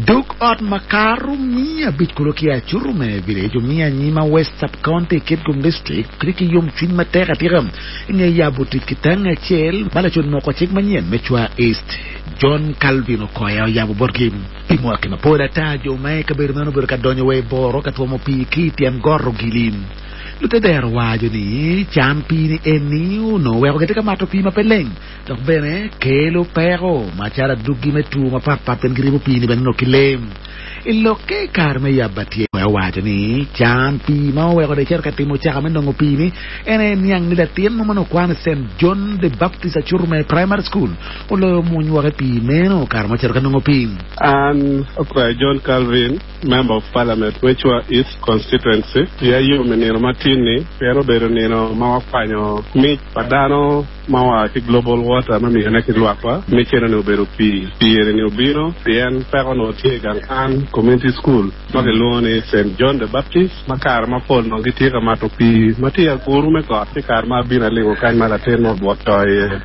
Dog ot makato 500 kulu ki Acurume Village omiyo anyima West Sub-County i Kitgum District tye ki yomcwiny matek atika i nge yabo tic ki tangi acel ma lacon moko cik manyen me Chwa East John Calvin Okoya oyabo botgi. Pi mwaki mapol ata, jo ma i kabedo meno obedo ka donyo wa i boro ka twomo pii ki i tyen got Ogili. Lutedero waco ni can pii-ni eni onongo weko gitye ka mato pii ma pe leng dok bene kelo peko macalo adwogi me two mapatpat pien giribo pii-ni bene nongo ki lee. I lokke i kare me yabo atyer, owaco ni can pii ma oweko dong ecito ka timo caka me nongo pii-ni en aye niang ni latin mo ma onongo kwano i Saint John the Baptist Acurume Primary School oloyo mwony woko i pii meno kare ma ocito ka nongo pii. An Okoya John Calvin, Member of Parliament me Chua East Constituency, iya yom i nino matin-ni pien obedo nino ma wakwanyo mic pa dano ma oa ki Global Water me miyone ki lwakwa. Mic eno-ni obedo pii. Pii eni-ni obino pien peko onongo tye i gang kwan, Community School, ma kilwongo ni Saint John the Baptist, ma kare mapol onongo gitye ka mato pii ma tye i aguru me got. Ci kare ma abino alingo kany ma latin mo obwot to iye,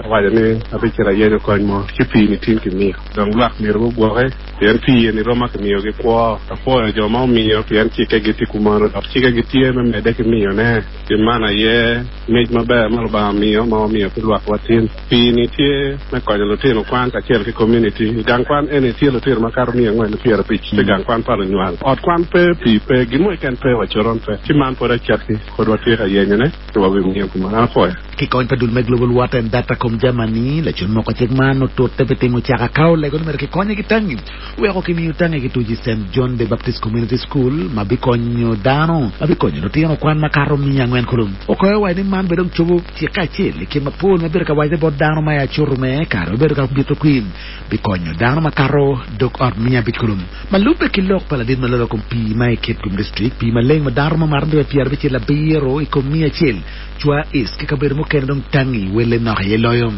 awaco ni abicito ayenyo kony mo, ci pii-ni tin kimiyo. Dong lwak myero gugwoke, pien pii eni rom ma kimiyogi kwo. Apwoyo jo ma omiyo, pien cikkegi tye kumeno, dok cikkegi tye me medde ki miyone. Pi man aye mic maber ma Lubanga omiyo ma wamiyo ki lwakwa tin. Pii-ni tye me konyo lutino kwan kacel ki komuniti. I gang kwan eni tye lutino makato 450 pi gang kwan pa lunywal. Ot kwan pe, pii pe, gin mo keken pe wa coron pe. Ci man pwod acakki, pwod watye ka yenyone ci wabimiyo kumeno. An apwoyo. Ki kony pa dul me Global Water and Datacom Germany, lacun moko cik man otute pi timo caka ka olego ni myero kikonye ki tangi weko kimiyo tangi ki tuc i Saint John the Baptist Community School ma bikonyo dano ma bikonyo lutino kwan makato 400 kulu. Okoyo waco ni man bene dong cobo cikke acel i kin mapol ma bedo ka wacone bot dano ma i acutu me kare ma bedo ka bito kwir bikonyo dano makato dog ot 500 kulu. Ma lubbe ki lok pa ladit ma lolo kom pii ma i Kitgum District, pii maleng ma dano romo mato ndio 98 i kom 100 Cwa East ki kabedo mukene dong tangi welle nok aye loyo.